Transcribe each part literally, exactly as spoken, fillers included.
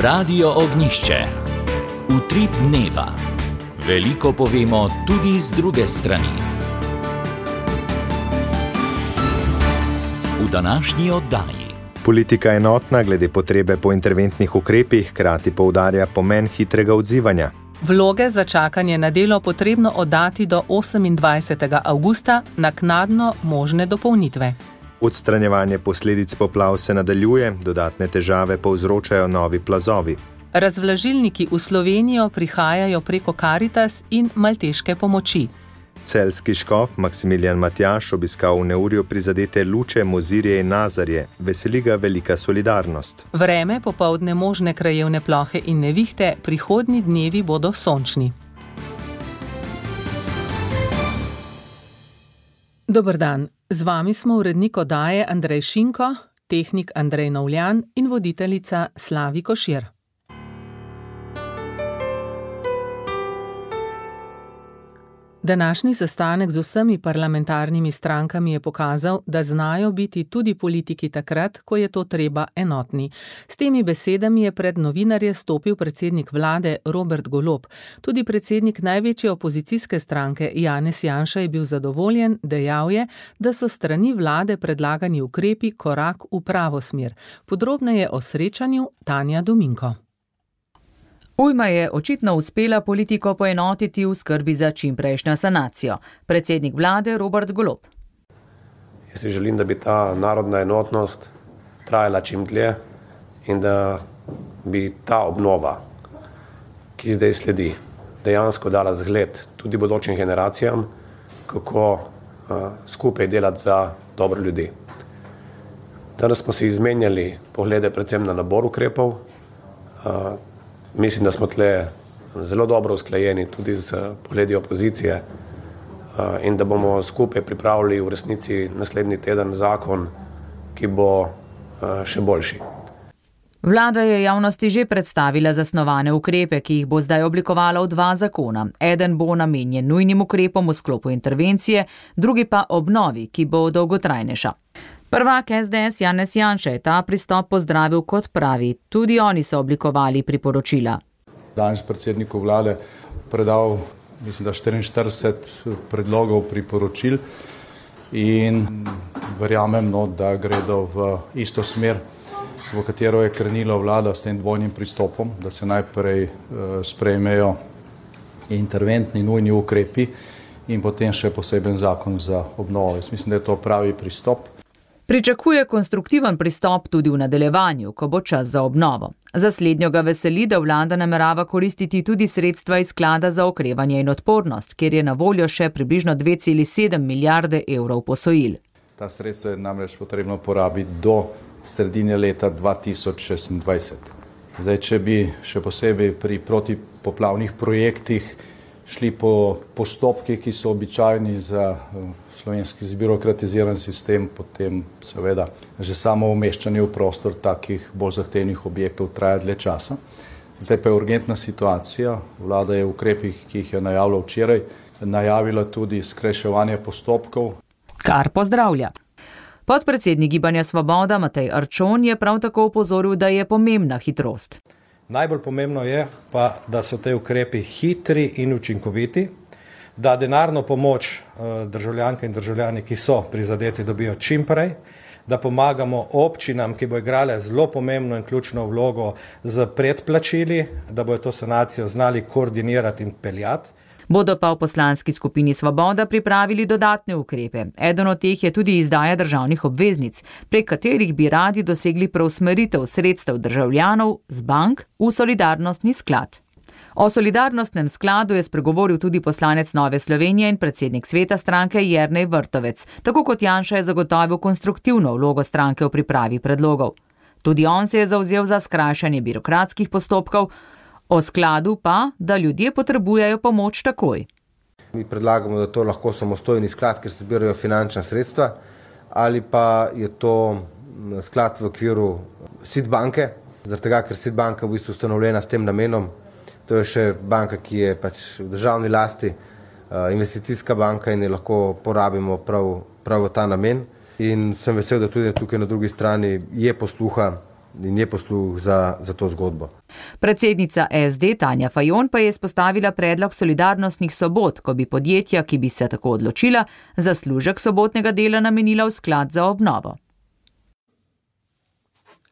Radio Ognišče. Utrip dneva. Veliko povemo tudi z druge strani. V današnji oddaji. Politika je enotna glede potrebe po interventnih ukrepih, hkrati poudarja pomen hitrega odzivanja. Vloge za čakanje na delo potrebno oddati do osemindvajsetega avgusta, naknadno možne dopolnitve. Odstranjevanje posledic poplav se nadaljuje, dodatne težave povzročajo novi plazovi. Razvlažilniki v Slovenijo prihajajo preko Karitas in malteške pomoči. Celjski škof Maksimilijan Matjaž obiskal v neurju prizadete Luče, Mozirje in Nazarje. Veseli ga velika solidarnost. Vreme, popoldne možne krajevne plohe in nevihte, prihodnji dnevi bodo sončni. Dober dan, z vami smo urednik oddaje Andrej Šinko, tehnik Andrej Novljan in voditeljica Slavi Košir. Današnji sestanek z vsemi parlamentarnimi strankami je pokazal, da znajo biti tudi politiki takrat, ko je to treba enotni. S temi besedami je pred novinarje stopil predsednik vlade Robert Golob. Tudi predsednik največje opozicijske stranke Janez Janša je bil zadovoljen, dejal je, da so strani vlade predlagani ukrepi korak v pravo smer. Podrobneje o srečanju Tanja Dominko. Ujma je očitno uspela politiko poenotiti v skrbi za čimprejšnjo sanacijo. Predsednik vlade Robert Golob. Jaz si želim, da bi ta narodna enotnost trajala čim dlje in da bi ta obnova, ki zdaj sledi, dejansko dala zgled tudi bodočim generacijam, kako uh, skupaj delati za dobro ljudi. Danes smo si izmenjali poglede predvsem na nabor ukrepov. Uh, Mislim, da smo tle zelo dobro usklajeni tudi z pogledi opozicije in da bomo skupaj pripravili v resnici naslednji teden zakon, ki bo še boljši. Vlada je javnosti že predstavila zasnovane ukrepe, ki jih bo zdaj oblikovala v dva zakona. Eden bo namenjen nujnim ukrepom v sklopu intervencije, drugi pa obnovi, ki bo dolgotrajnejša. Prvak es de es Janez Janša je ta pristop pozdravil kot pravi. Tudi oni so oblikovali priporočila. Danes predsedniku vlade predal, mislim, da štiriinštirideset predlogov priporočil in verjamem, no, da gredo v isto smer, v katero je krenila vlada s tem dvojnim pristopom, da se najprej eh, sprejmejo interventni nujni ukrepi in potem še poseben zakon za obnovo. Jaz mislim, da je to pravi pristop. Pričakuje konstruktiven pristop tudi v nadaljevanju, ko bo čas za obnovo. Za slednjo ga veseli, da vlada namerava koristiti tudi sredstva iz sklada za okrevanje in odpornost, kjer je na voljo še približno dve celi sedem milijarde evrov posojil. Ta sredstva je namreč potrebno porabiti do sredine leta dva tisoč šestindvajset. Zdaj, če bi še posebej pri protipoplavnih projektih šli po postopkih, ki so običajni za slovenski zbirokratiziran sistem, potem seveda že samo umeščanje v prostor takih bolj zahtevnih objektov traja dlje časa. Zdaj pa je urgentna situacija. Vlada je v ukrepih, ki jih je najavila včeraj, najavila tudi skrajševanje postopkov. Kar pozdravlja. Podpredsednik Gibanja Svoboda Matej Arčon je prav tako opozoril, da je pomembna hitrost. Najbolj pomembno je pa, da so te ukrepi hitri in učinkoviti, da denarno pomoč državljanke in državljani, ki so prizadeti, dobijo čim prej, da pomagamo občinam, ki bo igrale zelo pomembno in ključno vlogo z predplačili, da bojo to sanacijo znali koordinirati in peljati. Bodo pa v poslanski skupini Svoboda pripravili dodatne ukrepe. Eden od teh je tudi izdaja državnih obveznic, prek katerih bi radi dosegli preusmeritev sredstev državljanov z bank v solidarnostni sklad. O solidarnostnem skladu je spregovoril tudi poslanec Nove Slovenije in predsednik sveta stranke Jernej Vrtovec. Tako kot Janša je zagotovil konstruktivno vlogo stranke v pripravi predlogov. Tudi on se je zavzel za skrajšanje birokratskih postopkov, o skladu pa, da ljudje potrebujejo pomoč takoj. Mi predlagamo, da to lahko samostojni sklad, ker se zbirajo finančna sredstva, ali pa je to sklad v okviru S I D banke, zaradi tega, ker S I D banka v bistvu ustanovljena s tem namenom. To je še banka, ki je pač v državni lasti, investicijska banka in jo lahko porabimo prav, prav v ta namen. In sem vesel, da tudi tukaj na drugi strani je posluha in je posluh za, za to zgodbo. Predsednica es de Tanja Fajon pa je izpostavila predlog solidarnostnih sobot, ko bi podjetja, ki bi se tako odločila, zaslužek sobotnega dela namenila v sklad za obnovo.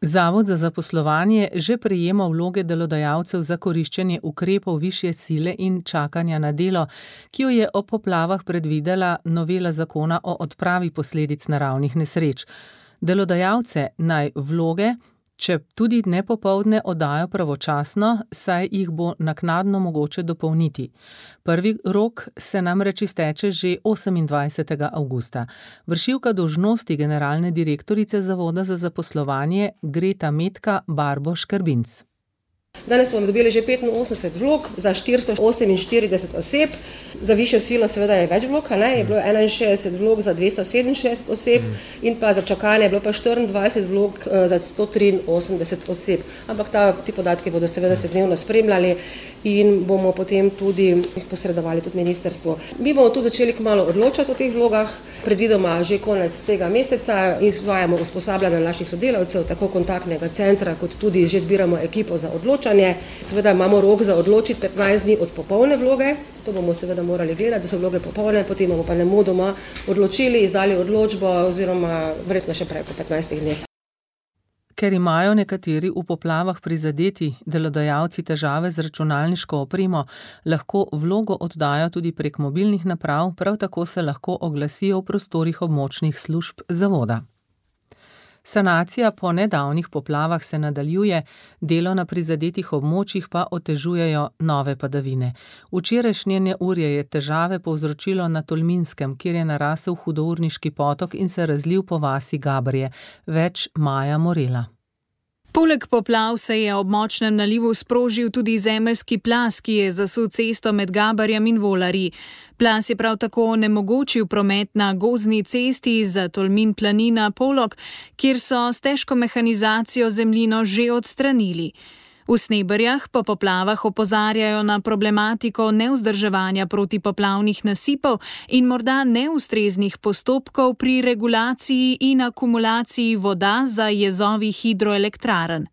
Zavod za zaposlovanje že prejema vloge delodajalcev za koriščenje ukrepov višje sile in čakanja na delo, ki jo je ob poplavah predvidela novela zakona o odpravi posledic naravnih nesreč. Delodajalce naj vloge, če tudi ne popoldne, oddajo pravočasno, saj jih bo naknadno mogoče dopolniti. Prvi rok se namreč izteče že osemindvajsetega avgusta. Vršilka dolžnosti generalne direktorice Zavoda za zaposlovanje Greta Metka Barbo Škrbinc. Danes smo dobili že petinosemdeset vlog za štiristo oseminštirideset oseb, za višjo silo seveda je več vlog, ne? Je bilo enainšestdeset vlog za dvesto sedeminšestdeset oseb in pa za čakanje je bilo pa štiriindvajset vlog za sto triinosemdeset oseb. Ampak ta, ti podatki bodo seveda se dnevno spremljali in bomo potem tudi posredovali tudi ministrstvu. Mi bomo tu začeli kmalu odločati o teh vlogah, predvidoma že konec tega meseca, izvajamo usposabljanje naših sodelavcev, tako kontaktnega centra, kot tudi že zbiramo ekipo za odločanje. Seveda imamo rok za odločiti petnajst dni od popolne vloge, to bomo seveda morali gledati, da so vloge popolne, potem bomo pa nemudoma odločili, izdali odločbo oziroma verjetno še prej kot petnajstih dneh. Ker imajo nekateri v poplavah prizadeti delodajalci težave z računalniško opremo, lahko vlogo oddajo tudi prek mobilnih naprav, prav tako se lahko oglasijo v prostorih območnih služb zavoda. Sanacija po nedavnih poplavah se nadaljuje, delo na prizadetih območjih pa otežujejo nove padavine. Včerajšnje neurje je težave povzročilo na Tolminskem, kjer je narasel hudourniški potok in se razlil po vasi Gabrje. Več Maja Morela. Poleg poplav se je ob močnem nalivu sprožil tudi zemeljski plaz, ki je zasul cesto med Gabarjem in Volarji. Plaz je prav tako onemogočil promet na gozdni cesti za Tolmin planina Polog, kjer so s težko mehanizacijo zemljino že odstranili. V Sneberjah po poplavah opozarjajo na problematiko nevzdrževanja protipoplavnih nasipov in morda neustreznih postopkov pri regulaciji in akumulaciji voda za jezovi hidroelektrarn.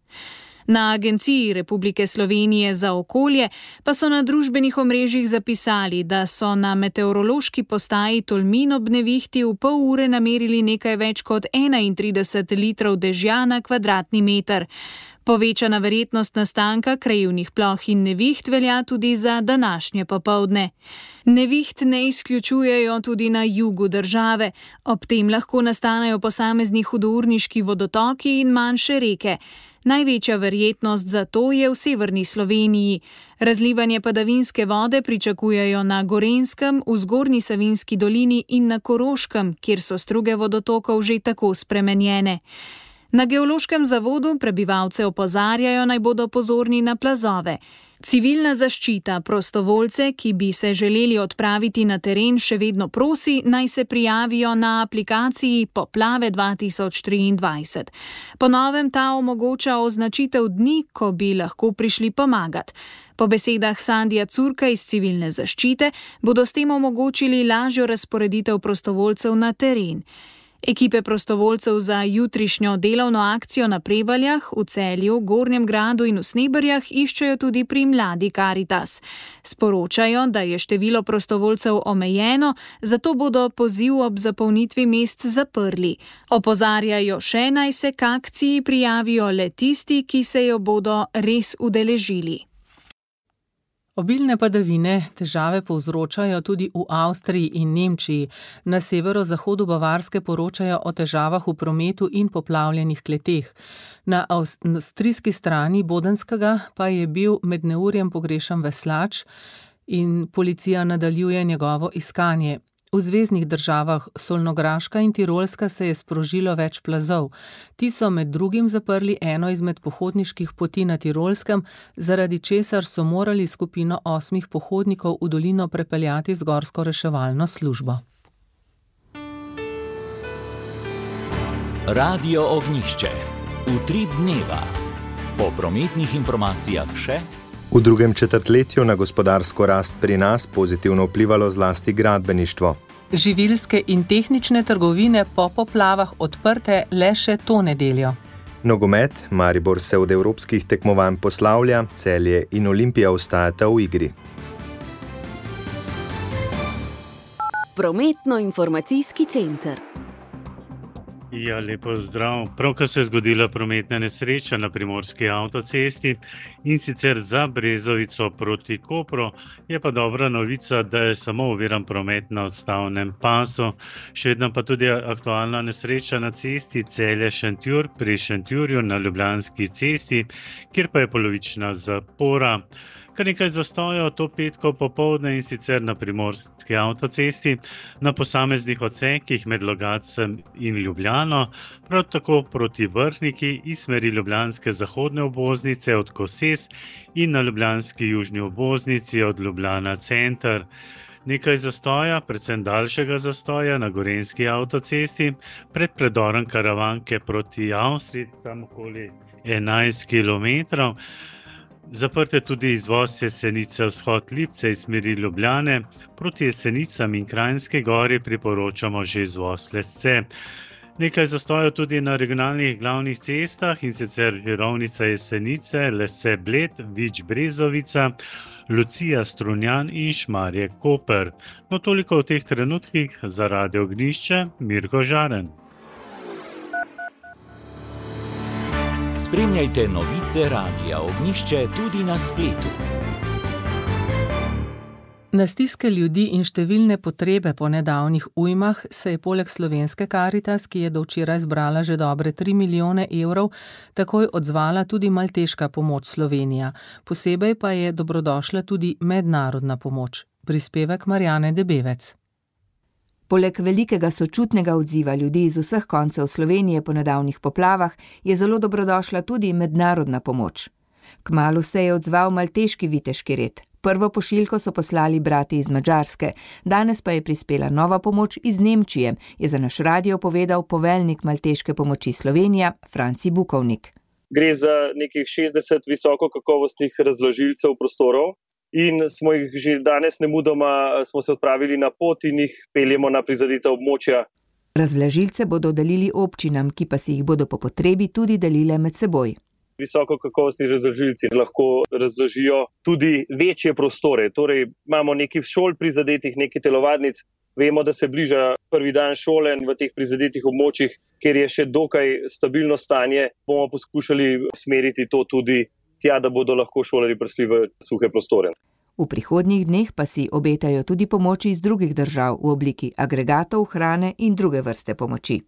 Na Agenciji Republike Slovenije za okolje pa so na družbenih omrežjih zapisali, da so na meteorološki postaji Tolmin ob nevihti v pol ure namerili nekaj več kot enaintrideset litrov dežja na kvadratni meter. Povečana verjetnost nastanka krajevnih ploh in neviht velja tudi za današnje popoldne. Neviht ne izključujejo tudi na jugu države, ob tem lahko nastanejo posamezni hudourniški vodotoki in manjše reke. Največja verjetnost za to je v severni Sloveniji. Razlivanje padavinske vode pričakujejo na Gorenjskem, v Zgornji Savinjski dolini in na Koroškem, kjer so struge vodotokov že tako spremenjene. Na Geološkem zavodu prebivalce opozarjajo, naj bodo pozorni na plazove. Civilna zaščita prostovoljce, ki bi se želeli odpraviti na teren, še vedno prosi, naj se prijavijo na aplikaciji Poplave dva tisoč triindvajset. Po novem ta omogoča označitev dni, ko bi lahko prišli pomagati. Po besedah Sandija Curka iz civilne zaščite bodo s tem omogočili lažjo razporeditev prostovoljcev na teren. Ekipe prostovoljcev za jutrišnjo delovno akcijo na Prevaljah, v Celju, Gornjem Gradu in v Sneberjah iščejo tudi pri Mladi Karitas. Sporočajo, da je število prostovoljcev omejeno, zato bodo poziv ob zapolnitvi mest zaprli. Opozarjajo še, naj se k akciji prijavijo le tisti, ki se jo bodo res udeležili. Obilne padavine težave povzročajo tudi v Avstriji in Nemčiji. Na severozahodu Bavarske poročajo o težavah v prometu in poplavljenih kleteh. Na avstrijski strani Bodenskega pa je bil med neurjem pogrešan veslač in policija nadaljuje njegovo iskanje. V zveznih državah Solnograška in Tirolska se je sprožilo več plazov. Ti so med drugim zaprli eno izmed pohodniških poti na Tirolskem, zaradi česar so morali skupino osmih pohodnikov v dolino prepeljati z gorsko reševalno službo. Radio Ognjišče. Utrip dneva. Po prometnih informacijah še... V drugem četrtletju na gospodarsko rast pri nas pozitivno vplivalo zlasti gradbeništvo. Živilske in tehnične trgovine po poplavah odprte le še to nedeljo. Nogomet, Maribor se od evropskih tekmovanj poslavlja, Celje in Olimpija ostajata v igri. Prometno-informacijski center. Ja, lepo zdrav. Pravkar se je zgodila prometna nesreča na primorski avtocesti in sicer za Brezovico proti Kopru. Je pa dobra novica, da je samo oviran promet na odstavnem pasu. Še vedno pa tudi aktualna nesreča na cesti Celje-Šentjur pri Šentjurju na Ljubljanski cesti, kjer pa je polovična zapora. Kar nekaj zastojev to petko popoldne in sicer na primorski avtocesti, na posameznih odsekih med Logatcem in Ljubljano, prav tako proti Vrhniki iz smeri ljubljanske zahodne obvoznice od Koses in na ljubljanski južni obvoznici od Ljubljana center. Nekaj zastoja, predvsem daljšega zastoja na gorenjski avtocesti, pred predorom Karavanke proti Avstriji, tam okoli enajst kilometrov. Zaprt je tudi izvoz Jesenice vzhod Lipce iz smeri Ljubljane, proti Jesenicam in Kranjski Gori priporočamo že izvoz Lesce. Nekaj zastojev tudi na regionalnih glavnih cestah in sicer Žirovnica Jesenice, Lesce Bled, Vič Brezovica, Lucija Strunjan in Šmarje Koper. No toliko v teh trenutkih za Radio Ognjišče, Mirko Žaren. Spremljajte novice Radia Ognjišče tudi na spletu. Na stiske ljudi in številne potrebe po nedavnih ujmah se je poleg slovenske Karitas, ki je do včeraj zbrala že dobre tri milijone evrov, takoj odzvala tudi malteška pomoč Slovenija. Posebej pa je dobrodošla tudi mednarodna pomoč. Prispevek Marjane Debevec. Poleg velikega sočutnega odziva ljudi iz vseh koncev Slovenije po nedavnih poplavah je zelo dobrodošla tudi mednarodna pomoč. Kmalu se je odzval malteški viteški red. Prvo pošiljko so poslali brati iz Madžarske, danes pa je prispela nova pomoč iz Nemčije, je za naš radio povedal poveljnik malteške pomoči Slovenija, Franci Bukovnik. Gre za nekih šestdeset visokokakovostnih razložilcev prostorov. In smo jih že danes nemudoma smo se odpravili na pot in jih peljemo na prizadeta območja. Razložilce bodo delili občinam, ki pa si jih bodo po potrebi tudi delile med seboj. Visokokakovostni razložilci lahko razložijo tudi večje prostore. Torej imamo nekaj šol prizadetih, nekaj telovadnic. Vemo, da se bliža prvi dan šole v teh prizadetih območjih, kjer je še dokaj stabilno stanje. Bomo poskušali usmeriti to tudi tja, da bodo lahko šolarji prišli v suhe prostore. V prihodnjih dneh pa si obetajo tudi pomoči iz drugih držav v obliki agregatov, hrane in druge vrste pomoči.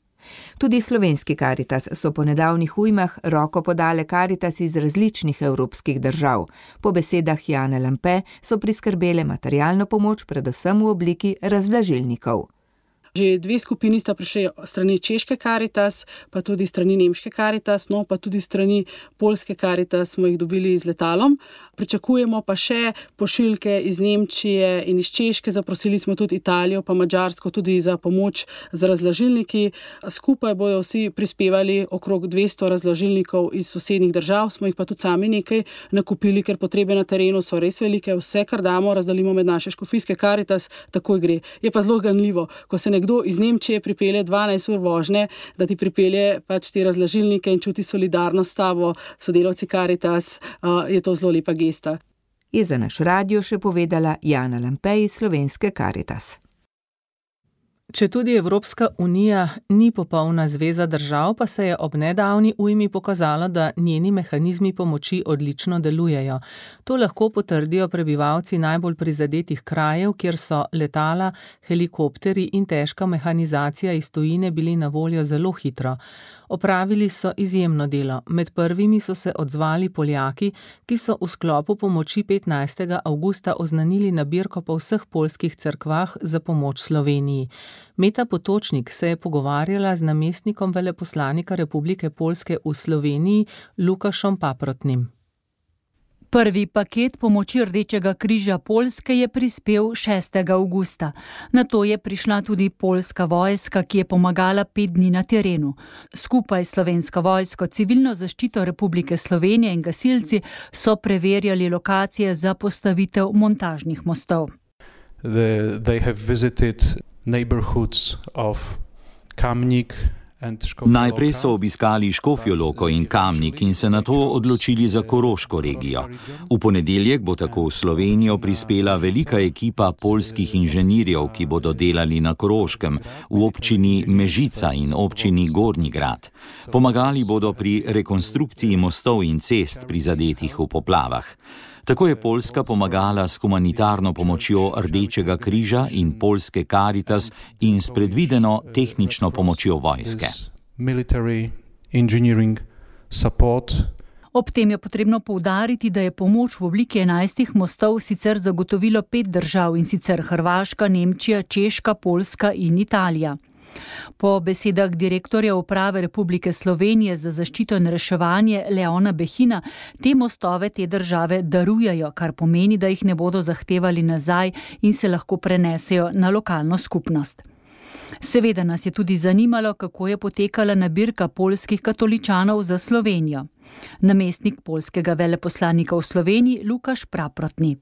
Tudi slovenski Karitas so po nedavnih ujmah roko podale Karitas iz različnih evropskih držav. Po besedah Jane Lampe so priskrbele materialno pomoč predvsem v obliki razvlažilnikov. Že dve skupini sta prišli strani češke Karitas, pa tudi strani nemške Karitas, no pa tudi strani poljske Karitas smo jih dobili z letalom. Pričakujemo pa še pošiljke iz Nemčije in iz Češke, zaprosili smo tudi Italijo pa Madžarsko tudi za pomoč z razložilniki. Skupaj bojo vsi prispevali okrog dvesto razložilnikov iz sosednjih držav, smo jih pa tudi sami nekaj nakupili, ker potrebe na terenu so res velike. Vse, kar damo, razdelimo med naše škofijske Karitas, takoj gre. Je pa zelo ganljivo, ko se nekdo iz Nemčije pripelje dvanajst ur vožnje, da ti pripelje pač te razložilnike in čuti solidarnost s tabo, sodelavci Karitas, je to zelo lepa gesta. Je za naš radio še povedala Jana Lampe iz slovenske Karitas. Če tudi Evropska unija ni popolna zveza držav, pa se je ob nedavni ujmi pokazalo, da njeni mehanizmi pomoči odlično delujejo. To lahko potrdijo prebivalci najbolj prizadetih krajev, kjer so letala, helikopteri in težka mehanizacija iz tujine bili na voljo zelo hitro. Opravili so izjemno delo. Med prvimi so se odzvali Poljaki, ki so v sklopu pomoči petnajstega avgusta oznanili nabirko po vseh poljskih cerkvah za pomoč Sloveniji. Meta Potočnik se je pogovarjala z namestnikom veleposlanika Republike Poljske v Sloveniji, Lukašom Paprotnim. Prvi paket pomoči Rdečega križa Poljske je prispel šestega avgusta. Nato je prišla tudi poljska vojska, ki je pomagala pet dni na terenu. Skupaj slovenska vojsko, civilno zaščito Republike Slovenije in gasilci so preverjali lokacije za postavitev montažnih mostov. The, they have visited neighborhoods of Kamnik Najprej so obiskali Škofjo Loko in Kamnik in se nato odločili za Koroško regijo. V ponedeljek bo tako v Slovenijo prispela velika ekipa poljskih inženirjev, ki bodo delali na Koroškem, v občini Mežica in občini Gornji Grad. Pomagali bodo pri rekonstrukciji mostov in cest prizadetih v poplavah. Tako je Poljska pomagala s humanitarno pomočjo Rdečega križa in poljske Karitas in s predvideno tehnično pomočjo vojske. Ob tem je potrebno poudariti, da je pomoč v obliki enajstih mostov sicer zagotovilo pet držav, in sicer Hrvaška, Nemčija, Češka, Poljska in Italija. Po besedah direktorja Uprave Republike Slovenije za zaščito in reševanje Leona Behina, te mostove te države darujejo, kar pomeni, da jih ne bodo zahtevali nazaj in se lahko prenesejo na lokalno skupnost. Seveda nas je tudi zanimalo, kako je potekala nabirka poljskih katoličanov za Slovenijo. Namestnik poljskega veleposlanika v Sloveniji Lukaš Praprotni.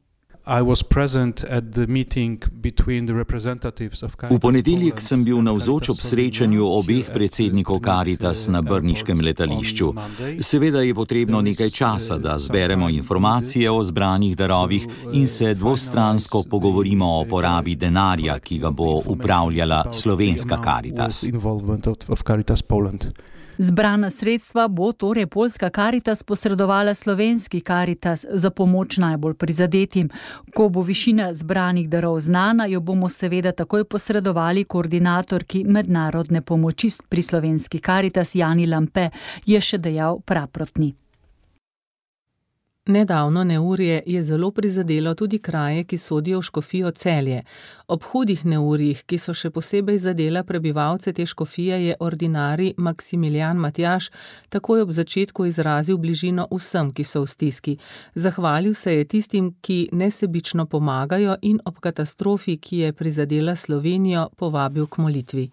V ponedeljek sem bil navzoč ob srečanju obeh predsednikov Karitas na brniškem letališču. Seveda je potrebno nekaj časa, da zberemo informacije o zbranih darovih in se dvostransko pogovorimo o porabi denarja, ki ga bo upravljala slovenska Karitas. Zbrana sredstva bo torej poljska Karitas posredovala slovenski Karitas za pomoč najbolj prizadetim. Ko bo višina zbranih darov znana, jo bomo seveda takoj posredovali koordinatorki mednarodne pomoči pri slovenski Karitas Jani Lampe, je še dejal Praprotni. Nedavno neurje je zelo prizadelo tudi kraje, ki sodijo v škofijo Celje. Ob hudih neurjih, ki so še posebej zadela prebivalce te škofije, je ordinarij Maksimilijan Matjaž takoj ob začetku izrazil bližino vsem, ki so v stiski. Zahvalil se je tistim, ki nesebično pomagajo, in ob katastrofi, ki je prizadela Slovenijo, povabil k molitvi.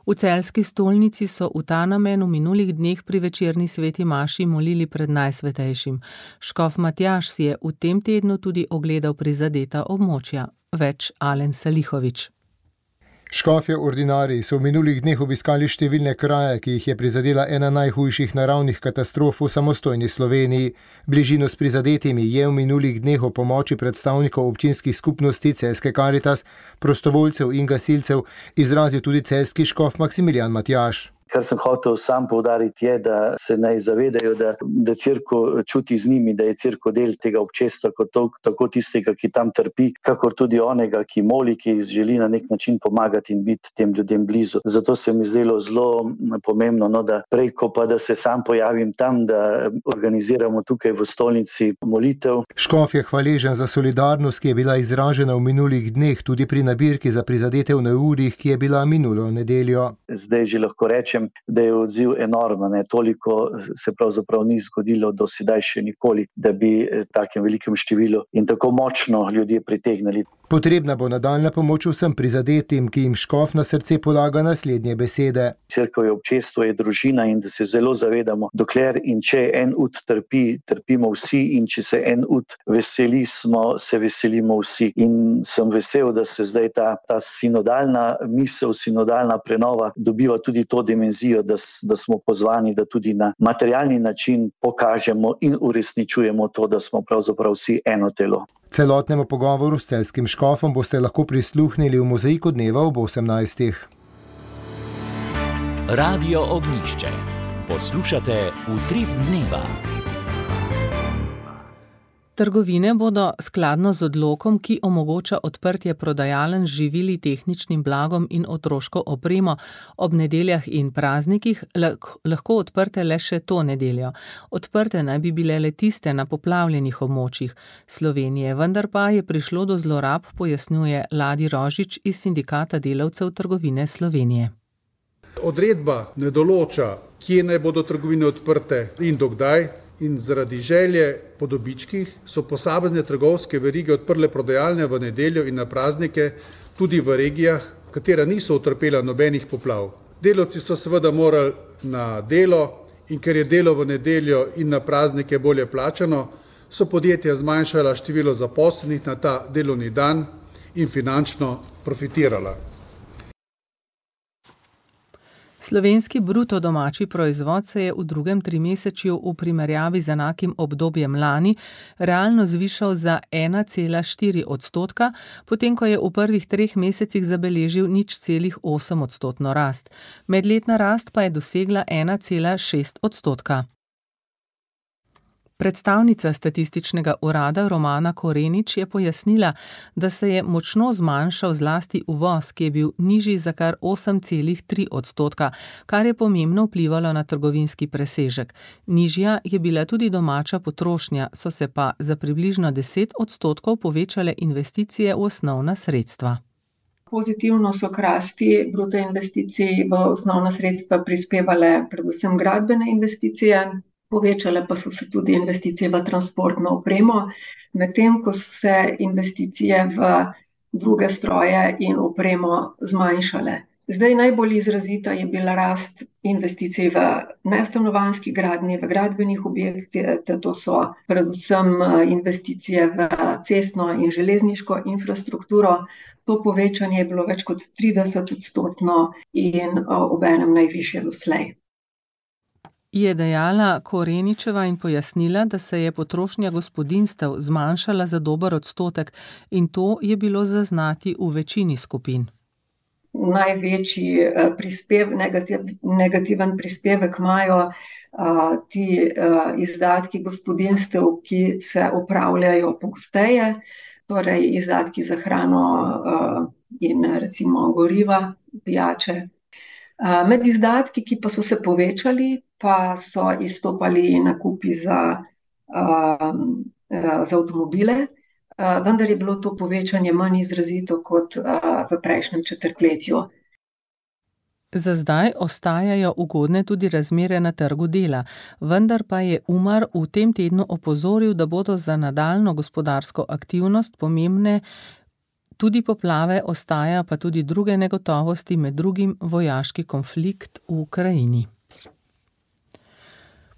V celjski stolnici so v ta namen v minulih dneh pri večerni sveti maši molili pred Najsvetejšim. Škof Matjaž si je v tem tednu tudi ogledal prizadeta območja. Več Alen Salihovič. Škofje ordinariji so v minulih dneh obiskali številne kraje, ki jih je prizadela ena najhujših naravnih katastrof v samostojni Sloveniji. Bližino s prizadetimi je v minulih dneh o pomoči predstavnikov občinskih skupnosti celjske Karitas, prostovoljcev in gasilcev izrazil tudi celjski škof Maksimilijan Matjaž. Kar sem hotel sam poudariti je, da se naj zavedajo, da, da cerkev čuti z njimi, da je cerkev del tega občestva, kot to, tako tistega, ki tam trpi, kakor tudi onega, ki moli, ki želi na nek način pomagati in biti tem ljudem blizu. Zato se mi zdelo zelo pomembno, no, da prej, ko pa da se sam pojavim tam, da organiziramo tukaj v stolnici molitev. Škof je hvaležen za solidarnost, ki je bila izražena v minulih dneh tudi pri nabirki za prizadete v neurjih, ki je bila minulo nedeljo. Zdaj že lahko rečem, da je odziv enormen, ne? Toliko se pravzaprav ni zgodilo do sedaj še nikoli, da bi takem velikem številu in tako močno ljudje pritegnili. Potrebna bo nadaljna pomoč vsem prizadetim, ki jim škof na srce polaga naslednje besede. Cerkev je občestvo, je družina in da se zelo zavedamo, dokler in če en ud trpi, trpimo vsi, in če se en ud veseli, smo, se veselimo vsi. In sem vesel, da se zdaj ta, ta sinodalna misel, sinodalna prenova dobiva tudi to dimenzijo, da, da smo pozvani, da tudi na materialni način pokažemo in uresničujemo to, da smo pravzaprav vsi eno telo. Celotnemu pogovoru s celjskim škofom boste lahko prisluhnili v Mozaiku dneva ob osemnajstih. Radio Ognjišče. Poslušate Utrip dneva. Trgovine bodo skladno z odlokom, ki omogoča odprtje prodajaln z živili, tehničnim blagom in otroško opremo ob nedeljah in praznikih, lahko odprte le še to nedeljo. Odprte naj bi bile le tiste na poplavljenih območjih Slovenije, vendar pa je prišlo do zlorab, pojasnjuje Ladi Rožič iz Sindikata delavcev trgovine Slovenije. Odredba ne določa, kje naj bodo trgovine odprte in dokdaj. In zaradi želje po dobičkih so posamezne trgovske verige odprle prodajalne v nedeljo in na praznike tudi v regijah, katera niso utrpela nobenih poplav. Delavci so seveda morali na delo in ker je delo v nedeljo in na praznike bolje plačano, so podjetja zmanjšala število zaposlenih na ta delovni dan in finančno profitirala. Slovenski bruto domači proizvod se je v drugem trimesečju v primerjavi z enakim obdobjem lani realno zvišal za ena cela štiri odstotka, potem ko je v prvih treh mesecih zabeležil nič celih osem odstotno rast. Medletna rast pa je dosegla ena cela šest odstotka. Predstavnica statističnega urada Romana Korenič je pojasnila, da se je močno zmanjšal zlasti uvoz, ki je bil nižji za kar osem celih tri odstotka, kar je pomembno vplivalo na trgovinski presežek. Nižja je bila tudi domača potrošnja, so se pa za približno deset odstotkov povečale investicije v osnovna sredstva. Pozitivno so k rasti bruto investicij v osnovna sredstva prispevale predvsem gradbene investicije. Povečale pa so se tudi investicije v transportno opremo, medtem ko so se investicije v druge stroje in opremo zmanjšale. Zdaj najbolj izrazita je bila rast investicij v nestanovanjski gradnji, v gradbenih objektih, to so predvsem investicije v cestno in železniško infrastrukturo. To povečanje je bilo več kot trideset odstotno in obenem najvišje doslej. Je dejala Koreničeva in pojasnila, da se je potrošnja gospodinjstev zmanjšala za dober odstotek in to je bilo zaznati v večini skupin. Največji prispev, negativ, negativen prispevek imajo a, ti a, izdatki gospodinjstev, ki se opravljajo pogosteje, torej izdatki za hrano a, in recimo goriva, pijače. A, med izdatki, ki pa so se povečali, pa so izstopali nakupi za, a, za avtomobile, a, vendar je bilo to povečanje manj izrazito kot a, v prejšnjem četrtletju. Za zdaj ostajajo ugodne tudi razmere na trgu dela, vendar pa je Umar v tem tednu opozoril, da bodo za nadaljnjo gospodarsko aktivnost pomembne tudi poplave, ostaja pa tudi druge negotovosti, med drugim vojaški konflikt v Ukrajini.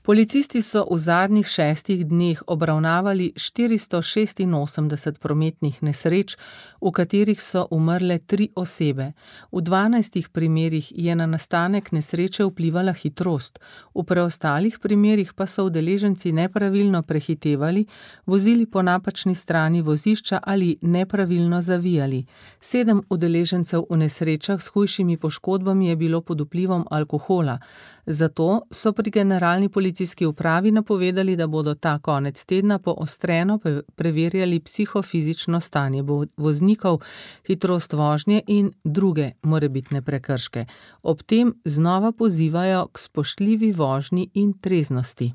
Policisti so v zadnjih šestih dneh obravnavali štiristo šestinosemdeset prometnih nesreč, v katerih so umrle tri osebe. V dvanajstih primerih je na nastanek nesreče vplivala hitrost, v preostalih primerih pa so udeleženci nepravilno prehitevali, vozili po napačni strani vozišča ali nepravilno zavijali. Sedem udeležencev v nesrečah s hujšimi poškodbami je bilo pod vplivom alkohola. Zato so pri generalni policijski upravi napovedali, da bodo ta konec tedna poostreno preverjali psihofizično stanje voznikov, hitrost vožnje in druge morebitne prekrške. Ob tem znova pozivajo k spoštljivi vožnji in treznosti.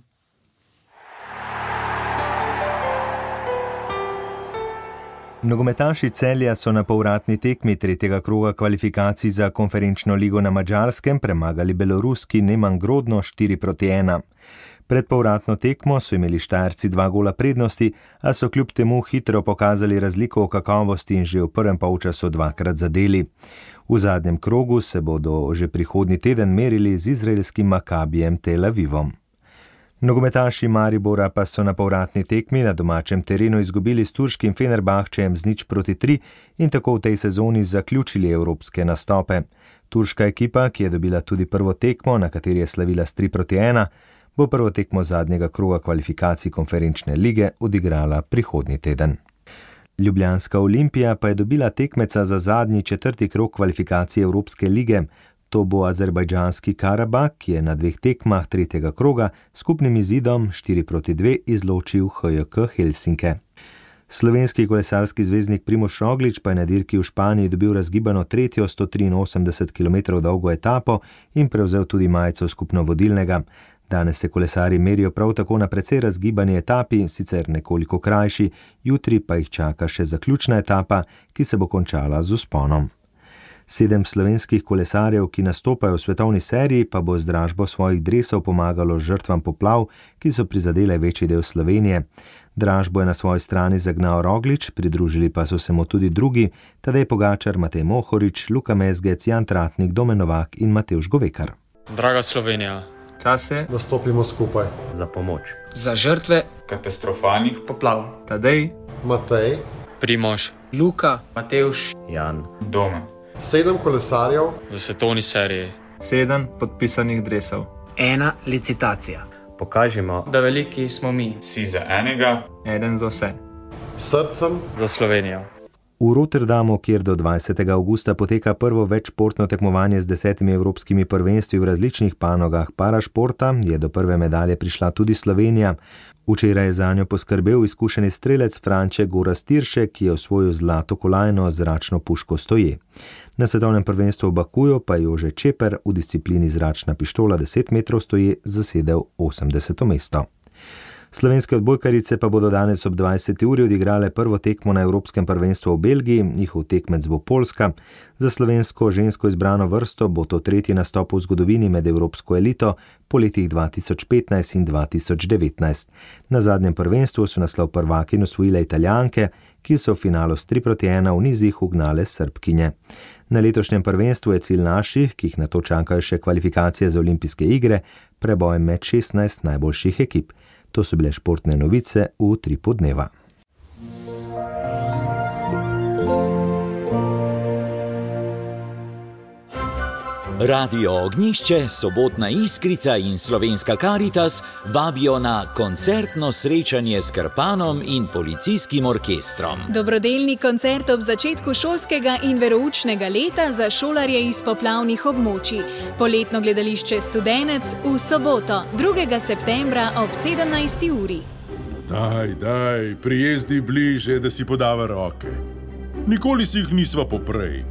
Nogometaši Celja so na povratni tekmi tretjega kroga kvalifikacij za konferenčno ligo na Madžarskem premagali beloruski Neman Grodno štiri proti ena. Pred povratno tekmo so imeli Štajerci dva gola prednosti, a so kljub temu hitro pokazali razliko v kakovosti in že v prvem polčasu dvakrat zadeli. V zadnjem krogu se bodo že prihodnji teden merili z izraelskim Makabijem Tel Avivom. Nogometaši Maribora pa so na povratni tekmi na domačem terenu izgubili s turškim Fenerbahčejem z nič proti tri in tako v tej sezoni zaključili evropske nastope. Turška ekipa, ki je dobila tudi prvo tekmo, na kateri je slavila s tri proti ena, bo prvo tekmo zadnjega kroga kvalifikacij konferenčne lige odigrala prihodnji teden. Ljubljanska Olimpija pa je dobila tekmeca za zadnji četrti krog kvalifikacij Evropske lige. To bo azerbajdžanski Karabak, ki je na dveh tekmah tretjega kroga skupnim izidom štiri proti dve izločil H J K Helsinke. Slovenski kolesarski zvezdnik Primož Roglič pa je na dirki v Španiji dobil razgibano tretjo sto triinosemdeset kilometrov dolgo etapo in prevzel tudi majico skupno vodilnega. Danes se kolesari merijo prav tako na precej razgibani etapi, sicer nekoliko krajši, jutri pa jih čaka še zaključna etapa, ki se bo končala z vzponom. Sedem slovenskih kolesarjev, ki nastopajo v svetovni seriji, pa bo z dražbo svojih dresov pomagalo žrtvam poplav, ki so prizadele večji del Slovenije. Dražbo je na svoji strani zagnal Roglič, pridružili pa so se mu tudi drugi, Tadej Pogačar, Matej Mohorič, Luka Mezgec, Jan Tratnik, Domen Novak in Matevž Govekar. Draga Slovenija, čas je, da stopimo skupaj za pomoč. Za žrtve katastrofalnih poplav. Tadej, Matej, Primož, Luka, Matevž, Jan, Domen. Sedem kolesarjev v svetovni seriji Sedem podpisanih dresov. Ena licitacija. Pokažimo, da veliki smo mi. Si za enega, eden za vse. Srcem za Slovenijo. V Rotterdamu, kjer do dvajsetega avgusta poteka prvo večšportno tekmovanje z desetimi evropskimi prvenstvi v različnih panogah parašporta, je do prve medalje prišla tudi Slovenija. Včeraj je zanjo poskrbel izkušeni strelec Franče Gorazd Tiršek, ki je osvojil zlato kolajno z zračno puško stoje. Na svetovnem prvenstvu v Bakuju pa je Jože Čeper v disciplini zračna pištola deset metrov stoje zasedel osemdeseto mesto. Slovenske odbojkarice pa bodo danes ob dvajseti uri odigrale prvo tekmo na Evropskem prvenstvu v Belgiji, njihov tekmec bo Poljska. Za slovensko žensko izbrano vrsto bo to tretji nastop v zgodovini med evropsko elito po letih dva tisoč petnajst in dva tisoč devetnajst. Na zadnjem prvenstvu so naslov prvakinj osvojile Italijanke, ki so v finalu s tri proti ena v nizih ugnale Srbkinje. Na letošnjem prvenstvu je cilj naših, ki jih na to čakajo še kvalifikacije za olimpijske igre, preboj med šestnajst najboljših ekip. To so bile športne novice v Utripu dneva. Radio Ognjišče, Sobotna Iskrica in Slovenska Karitas vabijo na koncertno srečanje s Krpanom in policijskim orkestrom. Dobrodelni koncert ob začetku šolskega in veroučnega leta za šolarje iz poplavnih območij. Poletno gledališče Studenec v soboto, drugega septembra ob sedemnajsti uri. Daj, daj, prijezdi bliže, da si podava roke. Nikoli si jih nisva poprej.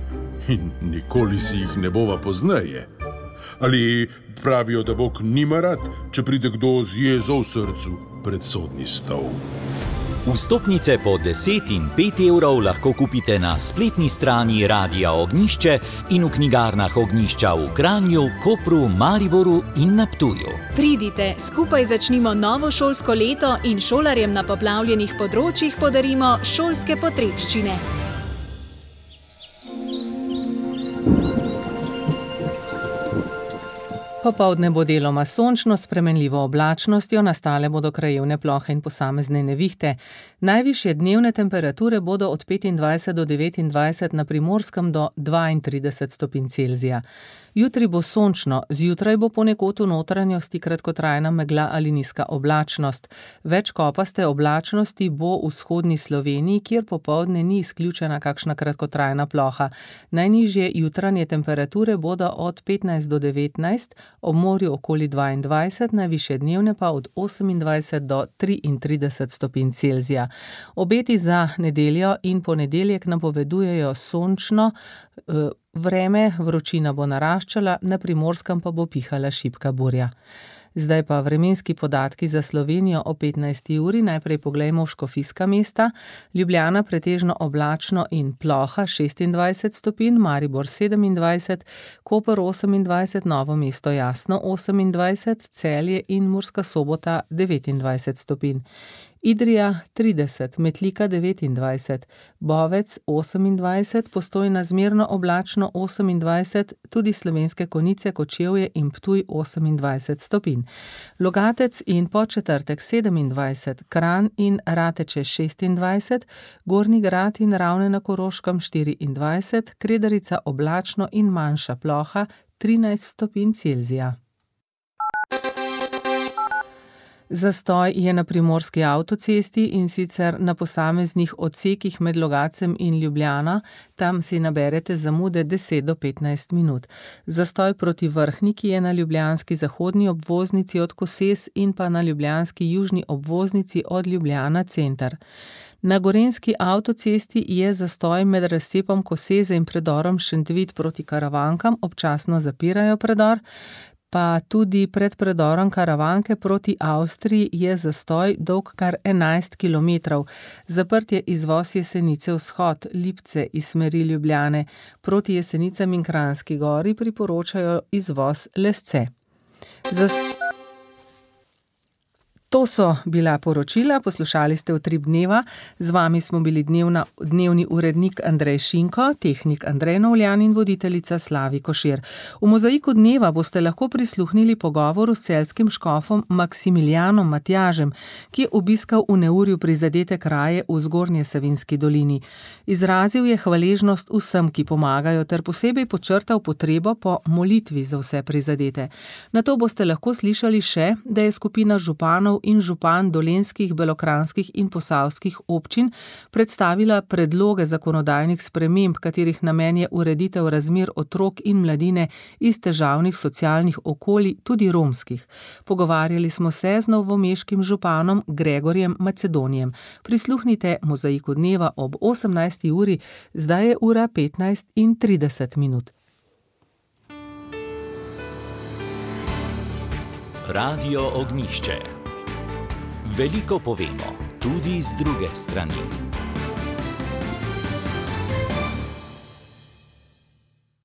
In nikoli si jih ne bova pozneje. Ali pravijo, da Bog nima rad, če pride kdo z jezo v srcu pred sodni stol. Vstopnice po deset in pet evrov lahko kupite na spletni strani Radia Ognjišče in v knjigarnah Ognjišča v Kranju, Kopru, Mariboru in na Ptuju. Pridite, skupaj začnimo novo šolsko leto in šolarjem na poplavljenih področjih podarimo šolske potrebščine. Popoldne bo deloma sončno s spremenljivo oblačnostjo, nastale bodo krajevne plohe in posamezne nevihte. Najvišje dnevne temperature bodo od petindvajset do devetindvajset, na Primorskem do dvaintrideset stopinj Celzija. Jutri bo sončno, zjutraj bo ponekod v notranjosti kratkotrajna megla ali nizka oblačnost. Več kopaste oblačnosti bo v vzhodni Sloveniji, kjer popoldne ni izključena kakšna kratkotrajna ploha. Najnižje jutranje temperature bodo od petnajst do devetnajst, ob morju okoli dvaindvajset, najvišje dnevne pa od osemindvajset do triintrideset stopinj Celzija. Obeti za nedeljo in ponedeljek napovedujejo sončno uh, vreme, vročina bo naraščala, na Primorskem pa bo pihala šibka burja. Zdaj pa vremenski podatki za Slovenijo o petnajsti uri. Najprej poglejmo škofijska mesta. Ljubljana pretežno oblačno in ploha šestindvajset stopinj, Maribor sedemindvajset, Koper osemindvajset, Novo mesto jasno osemindvajset, Celje in Murska Sobota devetindvajset stopinj. Idrija trideset, Metlika devetindvajset, Bovec osemindvajset, Postojna zmerno oblačno osemindvajset, tudi Slovenske Konjice, Kočevje in Ptuj osemindvajset stopinj. Logatec in Podčetrtek sedemindvajset, Kranj in Rateče šestindvajset, Gornji Grad in Ravne na Koroškem štiriindvajset, Kredarica oblačno in manjša ploha trinajst stopinj Celzija. Zastoj je na primorski avtocesti in sicer na posameznih odsekih med Logatcem in Ljubljana, tam si naberete zamude deset do petnajst minut. Zastoj proti Vrhniki je na ljubljanski zahodni obvoznici od Koses in pa na ljubljanski južni obvoznici od Ljubljana center. Na gorenjski avtocesti je zastoj med razcepom Koseze in predorom Šentvid proti Karavankam, občasno zapirajo predor, pa tudi pred predorom Karavanke proti Avstriji je zastoj dolg kar enajst kilometrov. Zaprt je izvoz Jesenice vzhod, Lipce iz smeri Ljubljane. Proti Jesenicam in Kranjski Gori priporočajo izvoz Lesce. Zast... To so bila poročila, poslušali ste Utrip dneva, z vami smo bili dnevna, dnevni urednik Andrej Šinko, tehnik Andrej Novljan in voditeljica Slavi Košir. V Mozaiku dneva boste lahko prisluhnili pogovoru s celjskim škofom Maksimilijanom Matjažem, ki je obiskal v neurju prizadete kraje v Zgornje Savinjski dolini. Izrazil je hvaležnost vsem, ki pomagajo, ter posebej počrtal potrebo po molitvi za vse prizadete. Nato boste lahko slišali še, da je skupina županov in župan dolenjskih, belokranjskih in posavskih občin predstavila predloge zakonodajnih sprememb, katerih namen je ureditev razmer otrok in mladine iz težavnih socialnih okolij, tudi romskih. Pogovarjali smo se z novomeškim županom Gregorjem Macedonijem. Prisluhnite Mozaiku dneva ob osemnajsti uri, zdaj je ura petnajst in trideset minut. Radio Ognjišče. Veliko povemo, tudi z druge strani.